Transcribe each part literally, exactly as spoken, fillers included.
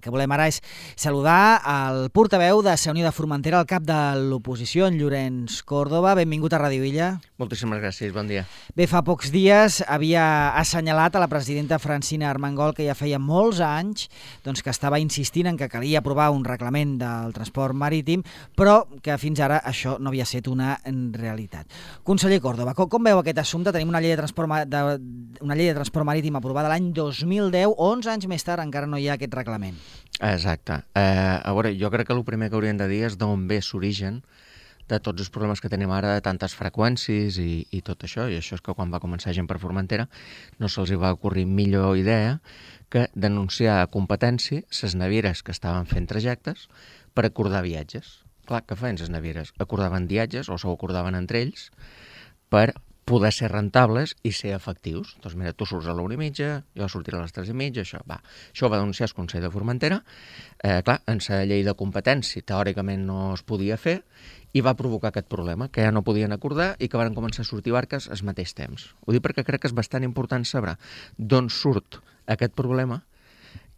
El que volem ara és saludar el portaveu de Unió de Formentera, el cap de l'oposició, en Llorenç Córdoba. Benvingut a Ràdio Illa. Moltíssimes gràcies, bon dia. Bé, fa pocs dies havia assenyalat a la presidenta Francina Armengol que ja feia molts anys doncs, que estava insistint en que calia aprovar un reglament del transport marítim, però que fins ara això no havia estat una realitat. Conseller Córdoba, com, com veu aquest assumpte? Tenim una llei de transport, de, una llei de transport marítim aprovada l'any dos mil deu, onze anys més tard encara no hi ha aquest reglament. Exacte. Eh, a veure, jo crec que el primer que hauríem de dir és d'on ve l'origen de tots els problemes que tenim ara, de tantes freqüències i, i tot això, i això és que quan va començar Gent per Formentera no se'ls va ocorrir millor idea que denunciar a competència les navieres que estaven fent trajectes per acordar viatges. Clar, què feien les navieres? Acordaven viatges o s'ho acordaven entre ells per poder ser rentables i ser efectius. Doncs mira, tu surts a l'una i mitja, jo sortiré a les tres i mitja, això va. Això va denunciar el Consell de Formentera. Eh, clar, en la llei de competència teòricament no es podia fer i va provocar aquest problema, que ja no podien acordar i que van començar a sortir barques al mateix temps. Ho dic perquè crec que és bastant important saber d'on surt aquest problema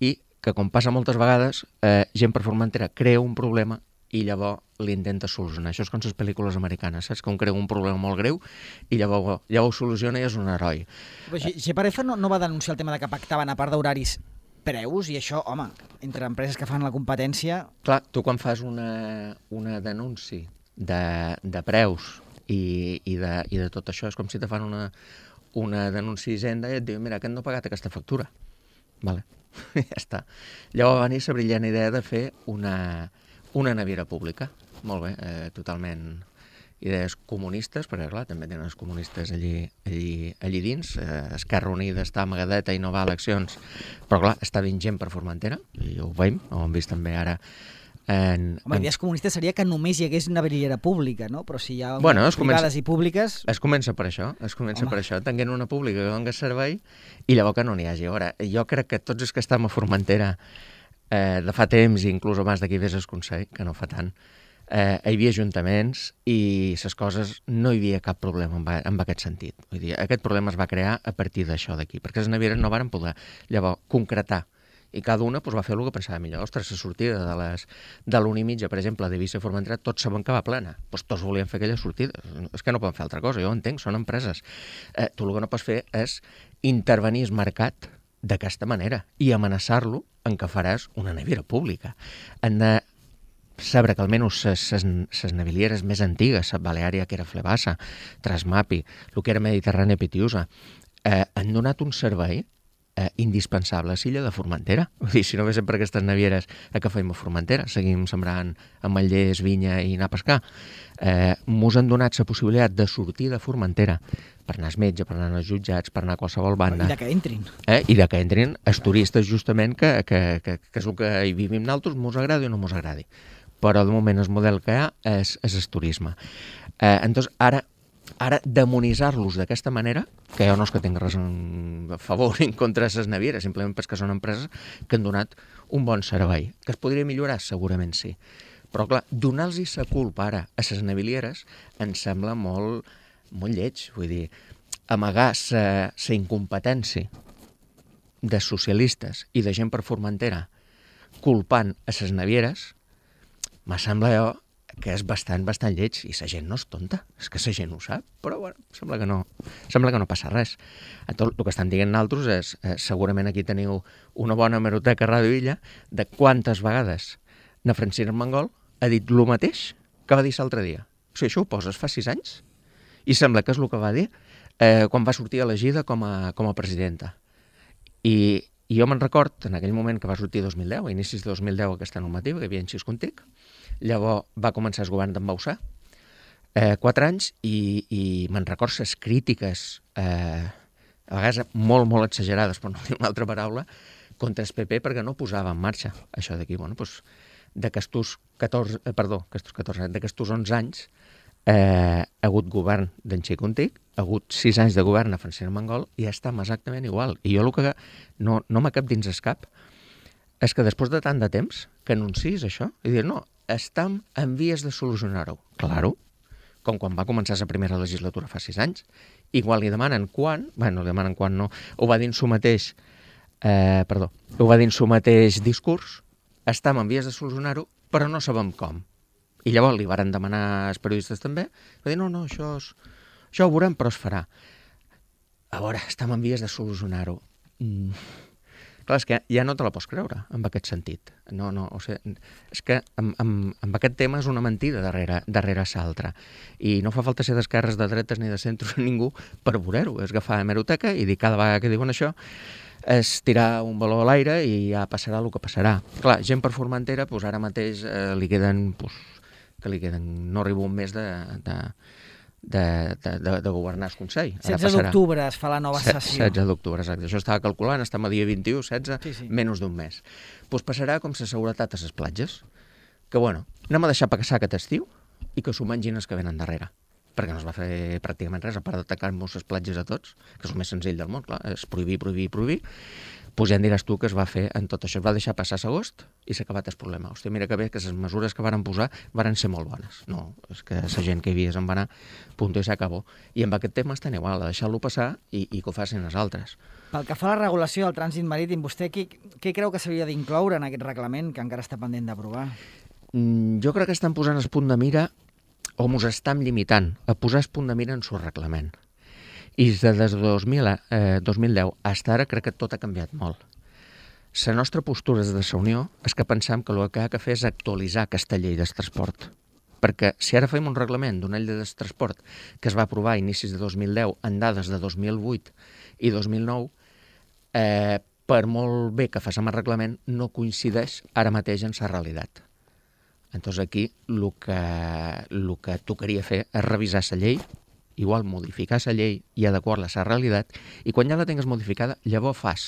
i que, com passa moltes vegades, eh, Gent per Formentera crea un problema i llavors l'intenta solucionar. Això és com les pel·lícules americanes, saps? Que un creu un problema molt greu i llavors ja ho soluciona i és un heroi. G per F no, no va denunciar el tema de que pactaven, a part d'horaris, preus, i això, home, entre empreses que fan la competència... Clar, tu quan fas una, una denúncia de, de preus i, i, de, i de tot això, és com si te fan una, una denúncia a Hisenda i et diuen, mira, aquest no ha pagat aquesta factura. Vale, ja està. Llavors va venir la brillant idea de fer una... una naviera pública, molt bé, eh, totalment idees comunistes, perquè clar, també tenen els comunistes allí, allí, allí dins, eh, Esquerra Unida està amagadeta i no va a eleccions, però clar, està dins Gent per Formentera, i ho veiem, ho hem vist també ara. En, Home, en... idees comunistes seria que només hi hagués una naviliera pública, no? Però si hi ha bueno, privades comença... i públiques... Es comença per això, es comença Home. per això, tenint una pública que doni servei i llavors que no n'hi hagi. Ara, jo crec que tots els que estem a Formentera Eh, de fa temps, i inclús abans d'aquí vés el Consell, que no fa tant, eh, hi havia ajuntaments i les coses no hi havia cap problema en, en aquest sentit. Vull dir, aquest problema es va crear a partir d'això d'aquí, perquè les navieres no varen poder llavors concretar i cada una pues, va fer el que pensava millor. Ostres, la sortida de les de l'una i mitja, per exemple, de Eivissa a Formentera, tots saben que va plena. Pues, tots volien fer aquella sortida. És que no poden fer altra cosa, jo ho entenc, són empreses. Eh, tu el que no pots fer és intervenir el mercat d'aquesta manera i amenaçar-lo en què faràs una naviera pública. Han de saber que almenys les navilieres més antigues, Baleària, que era Flebassa, Trasmapi, el que era Mediterrània Pitiusa, eh, han donat un servei eh, indispensable a l'illa de Formentera. Vull dir, si no haguéssim per aquestes navieres, a què feim a Formentera? Seguim sembrant ametllers, vinya i anar a pescar. Eh, mos han donat la possibilitat de sortir de Formentera per anar al metge, per anar als jutjats, per anar a qualsevol banda. I de que entrin. Eh? I de que entrin els turistes, justament, que, que, que, que és el que hi vivim nosaltres, mos agradi o no mos agradi. Però, de moment, el model que hi ha és, és el turisme. Eh, entonces, ara, ara demonitzar-los d'aquesta manera, que jo no és que tinc res a favor ni en contra de les navieres, simplement perquè són empreses que han donat un bon servei. Que es podria millorar? Segurament sí. Però, clar, donar-los la culpa ara a les navilieres em sembla molt... molt lleig, vull dir, amagar la incompetència de socialistes i de Gent per Formentera culpant a les navieres, me sembla jo que és bastant, bastant lleig, i la gent no és tonta, és que la gent ho sap, però bueno, sembla que no, sembla que no passa res. Tot el que estan dient nosaltres és, eh, segurament aquí teniu una bona hemeroteca a Ràdio Illa de quantes vegades na Francina Armengol ha dit el mateix que va dir l'altre dia. O sigui, això ho poses fa sis anys? I sembla que és el que va dir eh, quan va sortir elegida com a, com a presidenta. I, i jo me'n record, en aquell moment que va sortir dos mil deu, a inicis de dos mil deu aquesta normativa, que hi havia en Xis Contic, llavors va començar el govern d'en Bausà, eh, quatre anys, i, i me'n record les crítiques, eh, a vegades molt, molt exagerades, per no dir una altra paraula, contra el P P perquè no posava en marxa això d'aquí. Bueno, doncs, d'aquestos catorze, eh, perdó, aquestos catorze, d'aquestos onze anys, Eh, ha hagut govern d'en Xi Contic, ha hagut sis anys de govern a Francina Armengol i estem exactament igual. I jo el que no, no m'ha cap dins el cap és que després de tant de temps que anuncis això i dir, no, estem en vies de solucionar-ho. Claro, com quan va començar la primera legislatura fa sis anys. Igual li demanen quan, bueno, li demanen quan no, ho va dir en su mateix, eh, perdó, ho va dir en su mateix discurs, estem en vies de solucionar-ho, però no sabem com. I llavors li varen demanar als periodistes també, va dir, no, no, això, és, això ho veurem, però es farà. A veure, estem en vies de solucionar-ho. Mm. Clar, és que ja no te la pots creure, en aquest sentit. No, no, o sigui, és que amb, amb, amb aquest tema és una mentida darrere, darrere l'altra. I no fa falta ser d'esquerres, de dretes ni de centres ningú per veure-ho. És agafar hemeroteca i dir cada vegada que diuen això és tirar un baló a l'aire i ja passarà el que passarà. Clar, gent per Formentera, doncs ara mateix eh, li queden, doncs, que li queden, no arriba un mes de... de De, de, de, de governar el Consell. setze d'octubre es fa la nova sessió. setze d'octubre, exacte. Això estava calculant, estem a dia vint-i-u, setze, sí, sí. menys d'un mes. Doncs pues passarà com la seguretat a les platges, que bueno, anem a deixar passar aquest estiu i que s'ho mengin els que venen darrere, perquè no es va fer pràcticament res, a part d'atacar-nos les platges a tots, que és el més senzill del món, clar, és prohibir, prohibir, prohibir. Doncs ja em diràs tu que es va fer en tot això. Es va deixar passar l'agost i s'ha acabat el problema. Hòstia, mira que bé que les mesures que varen posar varen ser molt bones. No, és que la gent que hi havia se'n va anar, punt i s'acabó. I amb aquest tema estan igual, a deixar-lo passar i, i que ho facin els altres. Pel que fa a la regulació del trànsit marítim, vostè què, què creu que s'hauria d'incloure en aquest reglament que encara està pendent d'aprovar? Mm, jo crec que estan posant el punt de mira, o mos estan limitant a posar el punt de mira en el reglament. I des de dos mil, eh, dos mil deu fins ara crec que tot ha canviat molt. La nostra postura des de la Unió és que pensam que el que ha de fer és actualitzar aquesta llei del transport. Perquè si ara fem un reglament d'una llei del transport que es va aprovar a inicis de dos mil deu en dades de dos mil vuit i dos mil nou, eh, per molt bé que facem el reglament, no coincideix ara mateix en la realitat. Entonces aquí el que, el que tocaria fer és revisar la llei, igual modificar la llei i adequar-la a la realitat, i quan ja la tingues modificada, llavors fas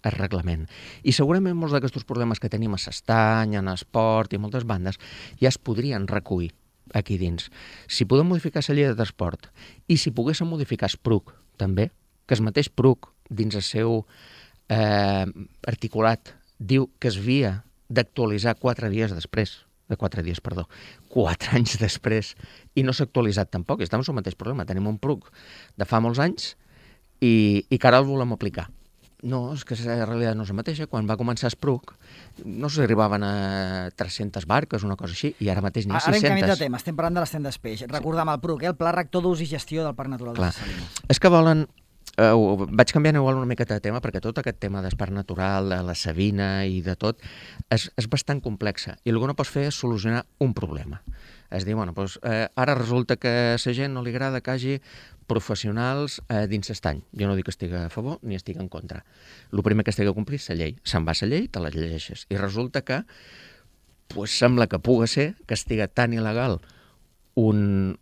el reglament. I segurament molts d'aquests problemes que tenim a l'estany, en esport i moltes bandes, ja es podrien recollir aquí dins. Si podem modificar la llei de transport i si poguéssim modificar el P R U C també, que el mateix P R U C dins el seu eh, articulat diu que es havia d'actualitzar quatre dies després, de quatre dies, perdó, quatre anys després, i no s'ha actualitzat tampoc, i estem amb el mateix problema. Tenim un P R U C de fa molts anys i, i que ara el volem aplicar. No, és que la realitat no és la mateixa. Quan va començar el P R U C no s'arribaven a tres-centes barques, una cosa així, i ara mateix n'hi ha sis-centes. Ara en canvi de tema, estem parlant de les tendes peix. Recordam el P R U C, el Pla Rector d'Ús i Gestió del Parc Natural de les Salines. És que volen... Uh, vaig canviant igual una miqueta de tema perquè tot aquest tema del parc natural, de la Sabina i de tot és, és bastant complexa i el que no pots fer és solucionar un problema. És dir, bueno, doncs, eh, ara resulta que a la gent no li agrada que hi hagi professionals eh, dins l'estany. Jo no dic que estigui a favor ni estigui en contra. El primer que estigui a complir és la llei. Se'n va la llei, te la llegeixes. I resulta que pues, sembla que pugui ser que estigui tan il·legal un,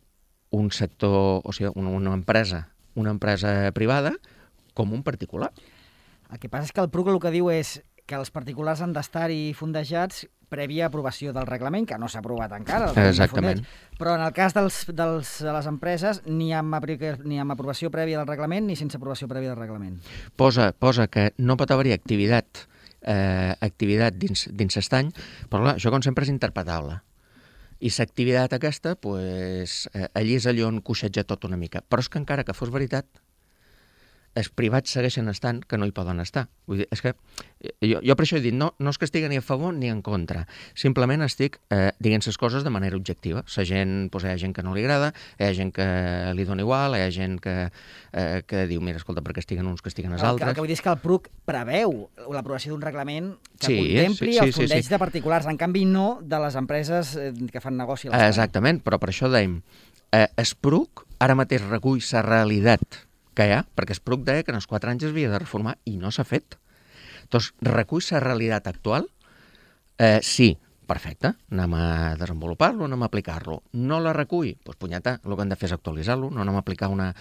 un sector, o sigui, una, una empresa una empresa privada com un particular. El que passa és que el P R U C el que diu és que els particulars han d'estar-hi fondejats prèvia aprovació del reglament, que no s'ha aprovat encara. Exactament. Però en el cas dels, dels, de les empreses, ni amb, ni amb aprovació prèvia del reglament ni sense aprovació prèvia del reglament. Posa, posa que no pot haver-hi activitat, eh, activitat dins, dins l'estany, però clar, això com sempre és interpretable. I l'activitat aquesta, pues, eh, allí és allò on coixeja tot una mica. Però és que encara que fos veritat, els privats segueixen estant que no hi poden estar. Vull dir, és que jo, jo per això he dit, no, no és que estigui ni a favor ni en contra. Simplement estic eh, dient les coses de manera objectiva. La gent, doncs, hi ha gent que no li agrada, hi ha gent que li dona igual, hi ha gent que, eh, que diu, mira, escolta, perquè estiguen uns que estiguen els altres. El que, el que vull dir és que el P R U C preveu l'aprovació d'un reglament que sí, contempli sí, sí, el fondeig sí, sí. de particulars, en canvi no de les empreses que fan negoci a l'estany. Exactament, però per això dèiem, eh, el P R U C ara mateix recull la realitat que hi ha, perquè el P R U C deia que en els quatre anys es havia de reformar i no s'ha fet. Doncs recull la realitat actual? Eh, sí, perfecte, anem a desenvolupar-lo, anem a aplicar-lo. No la recull? Doncs punyeta, el que hem de fer és actualitzar-lo, no anem a aplicar una,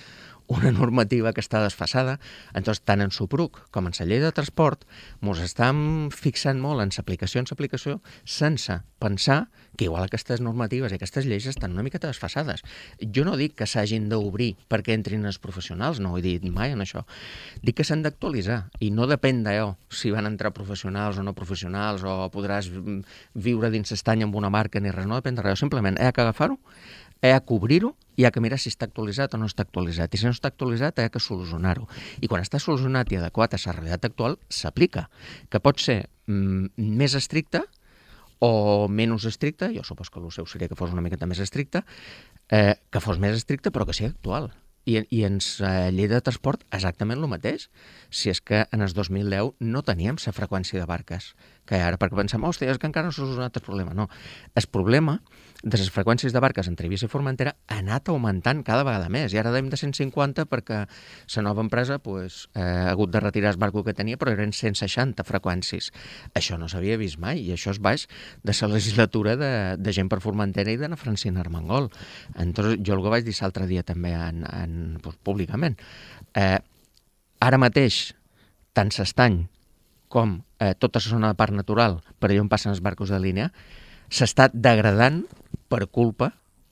una normativa que està desfasada. Entonces, tant en el P R U C com en la llei de transport ens estem fixant molt en l'aplicació en l'aplicació sense pensar que igual aquestes normatives i aquestes lleis estan una miqueta desfasades. Jo no dic que s'hagin d'obrir perquè entrin els professionals, no ho he dit mai en això. Dic que s'han d'actualitzar i no depèn d'allò si van entrar professionals o no professionals o podràs viure dins l'estany amb una marca ni res, no depèn de res. Simplement he que agafar-ho, he que obrir-ho i he que mirar si està actualitzat o no està actualitzat. I si no està actualitzat, he que solucionar-ho. I quan està solucionat i adequat a la realitat actual, s'aplica. Que pot ser mm, més estricte o menys estricta, jo supos que el seu seria que fos una miqueta més estricta, eh, que fos més estricta però que sigui actual. I, i ens, a llei de transport, exactament el mateix. Si és que en el dos mil deu no teníem la freqüència de barques que ara, perquè pensem, hòstia, és que encara no s'ha solucionat el problema. No, el problema de les freqüències de barques entre Eivissa i Formentera ha anat augmentant cada vegada més, i ara deim de cent cinquanta perquè la nova empresa pues, eh, ha hagut de retirar el barco que tenia, però eren cent seixanta freqüències. Això no s'havia vist mai, i això és baix de la legislatura de, de gent per Formentera i de na Francina Armengol. Entonces, jo el que vaig dir l'altre dia també en, en, pues, públicament, eh, ara mateix, tant s'estany com eh, tota la zona de parc natural per allà on passen els barcos de línia, s'està degradant per culpa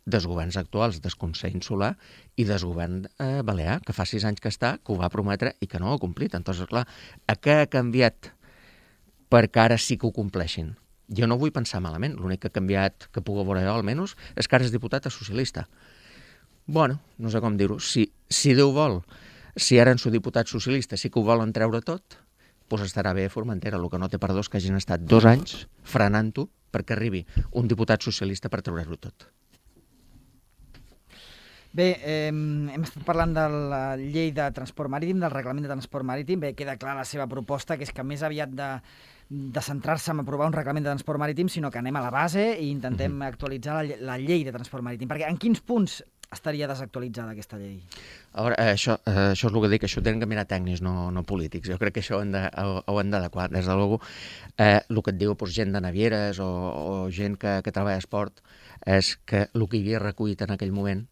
dels governs actuals, del Consell Insular i del govern eh, balear, que fa sis anys que està, que ho va prometre i que no ho ha complit. Entonces, clar, a què ha canviat perquè ara sí que ho compleixin? Jo no vull pensar malament, l'únic que ha canviat, que puc veure jo almenys, és que ara és diputat socialista. Bueno, no sé com dir-ho, si, si Déu vol, si ara en su diputat socialista sí que ho volen treure tot, doncs estarà bé a Formentera. El que no té perdó és que hagin estat dos anys frenant-ho perquè arribi un diputat socialista per treure-ho tot. Bé, eh, hem estat parlant de la llei de transport marítim, del reglament de transport marítim. Bé, queda clar la seva proposta, que és que més aviat de, de centrar-se en aprovar un reglament de transport marítim, sinó que anem a la base i intentem mm-hmm. actualitzar la, la llei de transport marítim. Perquè en quins punts estaria desactualitzada aquesta llei? A veure, això, això és el que dic, això ho tenen que mirar tècnics, no, no polítics. Jo crec que això ho hem de, ho hem d'adequar. Des de luego, eh, el que et diu doncs, gent de navieres o, o gent que, que treballa a esport és que el que hi havia recollit en aquell moment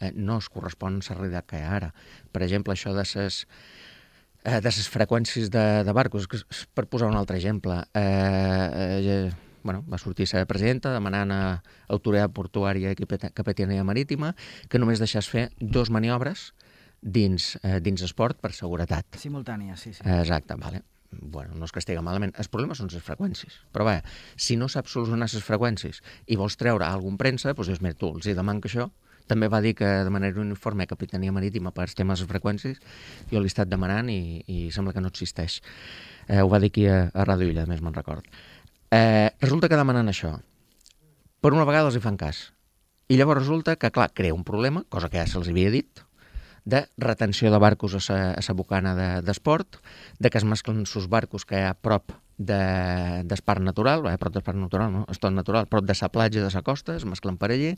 eh, no es correspon a la realitat que hi ha ara. Per exemple, això de les eh, de les freqüències de, de barcos, per posar un altre exemple, eh, eh, bueno, va sortir la presidenta demanant a Autoritat Portuària i Capitania Marítima que només deixés fer dos maniobres dins, eh, dins esport per seguretat. Simultània, sí, sí. Exacte, vale. Bueno, no es castiga malament. El problema són les freqüències. Però bé, si no saps solucionar les freqüències i vols treure algun premsa, doncs dius, mira, tu els hi deman que això. També va dir que de manera uniforme a Capitania Marítima per als temes de freqüències, jo l'he estat demanant i, i sembla que no existeix. Eh, ho va dir aquí a, a Ràdio Illa, més me'n record. Eh, resulta que demanen això. Per una vegada els hi fan cas. I llavors resulta que, clar, crea un problema, cosa que ja se'ls havia dit, de retenció de barcos a sa, a sa bocana d'esport, de, de que es mesclen sus barcos que hi ha a prop de, del parc natural, eh, prop del parc natural, no? És tot natural, prop de sa platja, de sa costa, es mesclen per allí,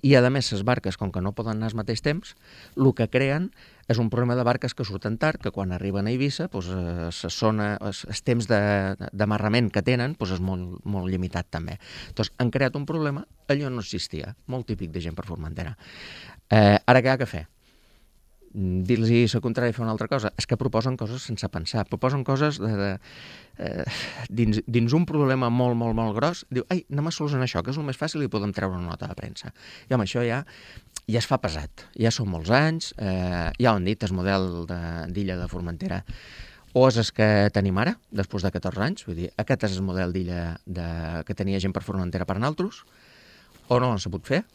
i a més les barques, com que no poden anar al mateix temps, el que creen és un problema de barques que surten tard, que quan arriben a Eivissa, doncs, eh, zona, els, els temps d'amarrament que tenen doncs, és molt, molt limitat també. Doncs han creat un problema, allò no existia, molt típic de gent per Formentera. Eh, ara què ha que fer? Dir-los la contrària i fer una altra cosa. És que proposen coses sense pensar, proposen coses de, de, eh, dins, dins un problema molt, molt, molt gros. Diu, ai, anem a solucionar això, que és el més fàcil i podem treure una nota de premsa. I home, això ja, ja es fa pesat. Ja són molts anys, eh, ja ho han dit, el model d'Illa de, de Formentera o és el que tenim ara, després de catorze anys, vull dir, aquest és el model d'Illa que tenia gent per Formentera per nosaltres, o no l'han sabut fer,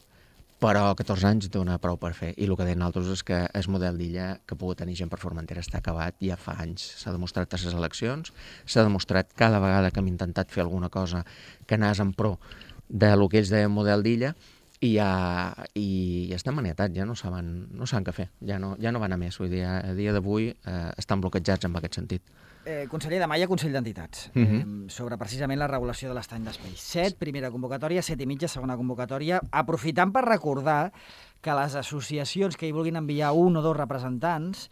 però catorze anys dona prou per fer. I el que deien altres és que el model d'Illa que pugui tenir gent per Formentera està acabat ja fa anys. S'ha demostrat a les eleccions, s'ha demostrat cada vegada que hem intentat fer alguna cosa que anés en pro de lo que ells deien model d'Illa i ja, i ja estan maniatats, ja no saben, no saben què fer, ja no, ja no van a més. Vull dir, a dia d'avui eh, estan bloquejats en aquest sentit. Eh, conseller, demà hi ha Consell d'Entitats uh -huh. eh, sobre precisament la regulació de l'estany d'espai. Set, primera convocatòria, set i mitja, segona convocatòria, aprofitant per recordar que les associacions que hi vulguin enviar un o dos representants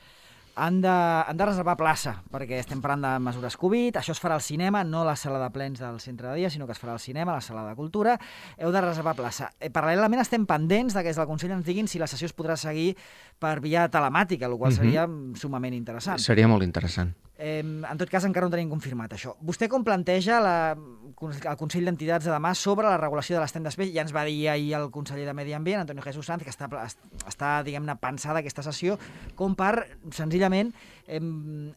han de, han de reservar plaça, perquè estem parlant de mesures Covid, això es farà al cinema, no a la sala de plens del centre de dia, sinó que es farà al cinema, a la sala de cultura, heu de reservar plaça. Eh, paral·lelament estem pendents de que des del Consell ens diguin si la sessió es podrà seguir per via telemàtica, el qual seria uh-huh. sumament interessant. Seria molt interessant. Eh, en tot cas, encara no tenim confirmat això. Vostè com planteja la, el Consell d'Entitats de demà sobre la regulació de l'estany d'espai? Ja ens va dir ahir el conseller de Medi Ambient, Antonio Jesús Sanz, que està, està diguem-ne, pensada aquesta sessió com per, senzillament, eh,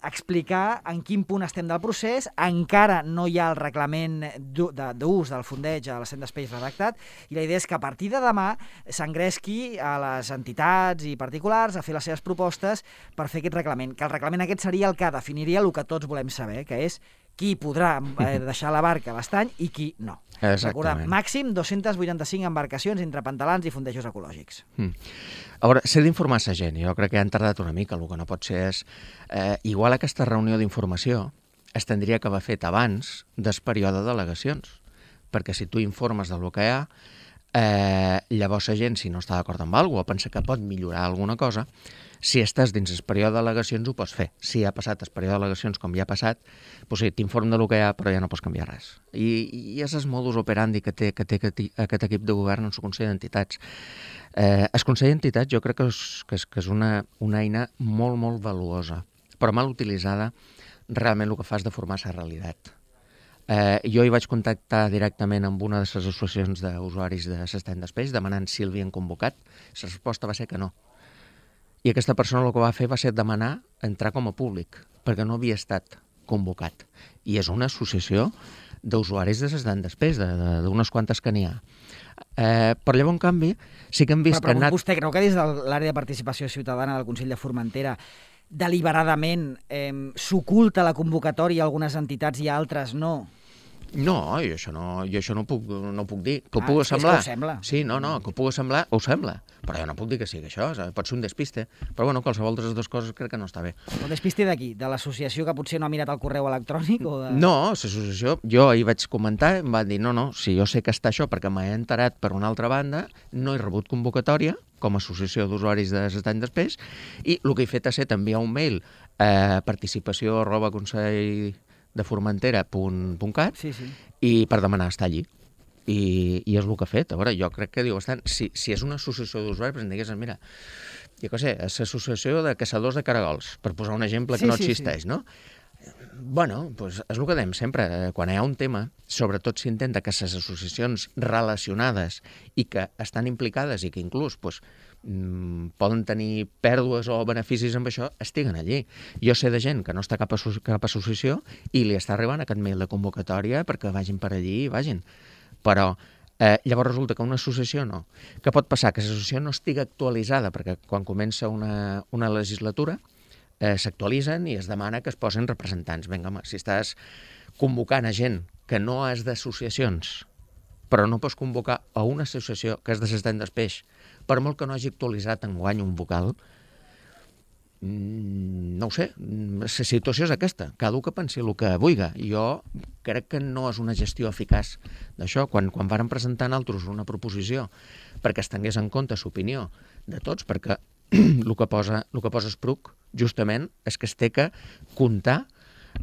explicar en quin punt estem del procés. Encara no hi ha el reglament d'ús del fondeig a l'estany d'espai redactat, i la idea és que a partir de demà s'engresqui a les entitats i particulars a fer les seves propostes per fer aquest reglament, que el reglament aquest seria el que definiria diria el que tots volem saber, que és qui podrà eh, deixar la barca a l'estany i qui no. Recordem, màxim dos-centes vuitanta-cinc embarcacions entre pantalans i fondejos ecològics. Mm. A veure, s'ha d'informar a la gent. Jo crec que han tardat una mica. El que no pot ser és... Eh, igual aquesta reunió d'informació es tindria que haver fet abans del període d'al·legacions. Perquè si tu informes del que hi ha, eh, llavors la gent, si no està d'acord amb alguna cosa o pensa que pot millorar alguna cosa, si estàs dins el període d'al·legacions ho pots fer. Si ha passat el període d'al·legacions com ja ha passat, doncs sí, t'inform del que hi ha, però ja no pots canviar res. I, i és el modus operandi que té, que té aquest equip de govern en el Consell d'Entitats. Eh, el Consell d'Entitats jo crec que és, que és, que és una, una eina molt, molt valuosa, però mal utilitzada realment el que fa és deformar la realitat. Eh, jo hi vaig contactar directament amb una de les associacions d'usuaris de l'estany d'espeix demanant si el havien convocat. La resposta va ser que no. I aquesta persona el que va fer va ser demanar entrar com a públic, perquè no havia estat convocat. I és una associació d'usuaris de l'estany d'espeix, d'unes quantes que n'hi ha. Eh, però llavors, en canvi, sí que hem vist però, però que... Però vostè creu que des de l'àrea de participació ciutadana del Consell de Formentera deliberadament eh, s'oculta la convocatòria a algunes entitats i a altres no? No, jo això no, jo això no, puc, no puc dir. Que ho ah, puc semblar. És que ho sembla. Sí, no, no, que ho puc semblar, ho sembla. Però jo no puc dir que sigui això, pot ser un despiste. Però bueno, qualsevol de les dues coses crec que no està bé. Un despiste d'aquí? De l'associació que potser no ha mirat el correu electrònic? O de... No, l'associació, jo hi vaig comentar, em van dir, no, no, si jo sé que està això perquè m'he enterat per una altra banda, no he rebut convocatòria com a associació d'usuaris de l'estany d'espeix, i el que he fet ha set enviar un mail a participació arroba consell de formentera punt cat sí, sí. i per demanar estar allí. I, i és el que ha fet. A veure, jo crec que diu bastant, si, si és una associació d'usuaris, però em digués, mira, jo què sé, és l'associació de caçadors de caragols, per posar un exemple que sí, no sí, existeix, sí. no? Bueno, doncs és el que dèiem sempre, quan hi ha un tema, sobretot s'intenta que les associacions relacionades i que estan implicades i que inclús doncs, mm, poden tenir pèrdues o beneficis amb això, estiguen allí. Jo sé de gent que no està cap, asso cap associació i li està arribant aquest mail de convocatòria perquè vagin per allí i vagin. Però eh, llavors resulta que una associació no. Què pot passar? Que l'associació no estigui actualitzada, perquè quan comença una, una legislatura eh, s'actualitzen i es demana que es posen representants. Vinga, home, si estàs convocant a gent que no és d'associacions, però no pots convocar a una associació que és de l'estany d'espeix, per molt que no hagi actualitzat enguany un vocal, no ho sé, la situació és aquesta, cada un que pensi el que vulgui. Jo crec que no és una gestió eficaç d'això. Quan, quan varen presentar nosaltres una proposició perquè es tingués en compte l'opinió de tots, perquè el que posa, el que posa Spruc justament és que es té que comptar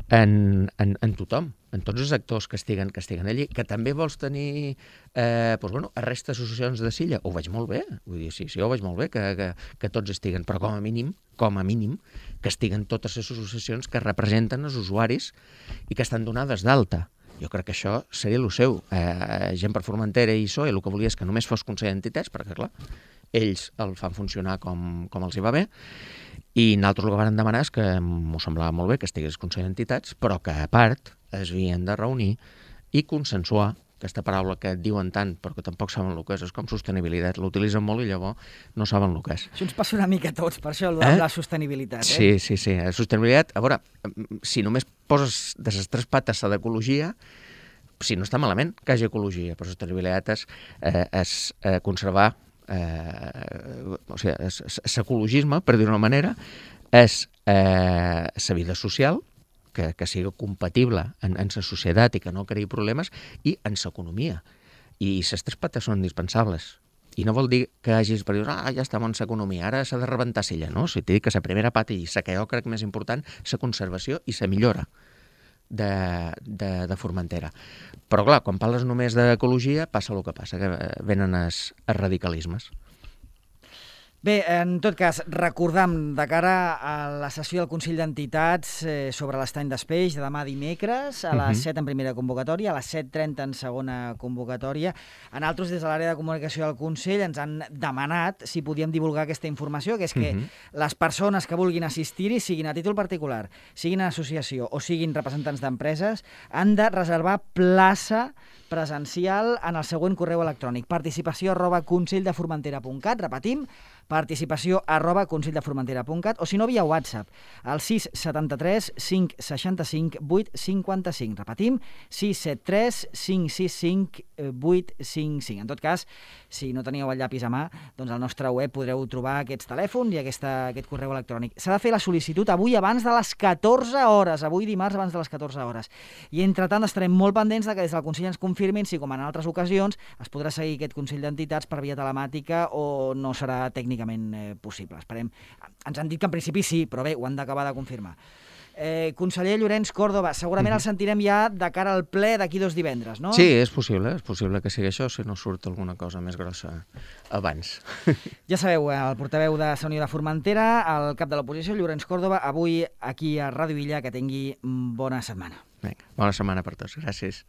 en, en, en tothom, en tots els actors que estiguen, que estiguen allí, que també vols tenir eh, doncs, bueno, a resta d'associacions de Silla, ho veig molt bé, vull dir, sí, sí, ho veig molt bé que, que, que tots estiguen, però com a mínim, com a mínim, que estiguen totes les associacions que representen els usuaris i que estan donades d'alta. Jo crec que això seria el seu. Eh, Gent per Formentera i P S O E el que volia és que només fos Consell d'Entitats, perquè clar, ells el fan funcionar com, com els hi va bé, i nosaltres el que vam demanar és que m'ho semblava molt bé que estigués el Consell d'Entitats, però que a part es havien de reunir i consensuar, aquesta paraula que diuen tant però que tampoc saben el que és, és com sostenibilitat, l'utilitzen molt i llavors no saben el que és. Això ens passa una mica a tots, per això eh? la sostenibilitat. Eh? Sí, sí, sí, la sostenibilitat, a veure, si només poses de les tres pates a d'ecologia, si no està malament que hi hagi ecologia, però sostenibilitat és, eh, és eh, conservar Eh, o sigui, l'ecologisme, per dir-ho d'una manera, és eh, la vida social, que, que sigui compatible en, en la societat i que no creï problemes, i en l'economia. I les tres pates són indispensables. I no vol dir que hagis per dir, ah, ja estem en l'economia, ara s'ha de rebentar Silla, no? O sigui, t'he dit que la primera pata i la que jo crec més important, la conservació i la millora de, de, de Formentera. Però clar, quan parles només d'ecologia passa el que passa, que venen els, els radicalismes. Bé, en tot cas, recordam de cara a la sessió del Consell d'Entitats eh, sobre l'estany d'Espeix de demà dimecres, a les uh-huh. set en primera convocatòria, a les set trenta en segona convocatòria. A nosaltres, des de l'àrea de comunicació del Consell, ens han demanat si podíem divulgar aquesta informació, que és que uh-huh. les persones que vulguin assistir-hi, siguin a títol particular, siguin en associació o siguin representants d'empreses, han de reservar plaça presencial en el següent correu electrònic: participació arroba conselldeformentera punt cat, repetim, participació arroba conselldeformentera punt cat, o si no, via WhatsApp, al sis setanta tres cinc seixanta cinc vuit cinquanta cinc. Repetim, sis set tres cinc sis cinc vuit cinc cinc. En tot cas, si no teníeu el llapis a mà, doncs al nostre web podreu trobar aquests telèfons i aquesta, aquest correu electrònic. S'ha de fer la sol·licitud avui abans de les catorze hores, avui dimarts abans de les catorze hores. I entretant estarem molt pendents de que des del Consell ens confirmin si, com en altres ocasions, es podrà seguir aquest Consell d'Entitats per via telemàtica o no serà tècnicament eh, possible. Esperem. Ens han dit que en principi sí, però bé, ho han d'acabar de confirmar. Eh, conseller Llorenç Córdoba, segurament el sentirem ja de cara al ple d'aquí dos divendres, no? Sí, és possible, és possible que sigui això, si no surt alguna cosa més grossa abans. Ja sabeu, el portaveu de la Unió de Formentera, el cap de l'oposició, Llorenç Córdoba, avui aquí a Ràdio Illa, que tingui bona setmana. Vinga, bona setmana per tots, gràcies.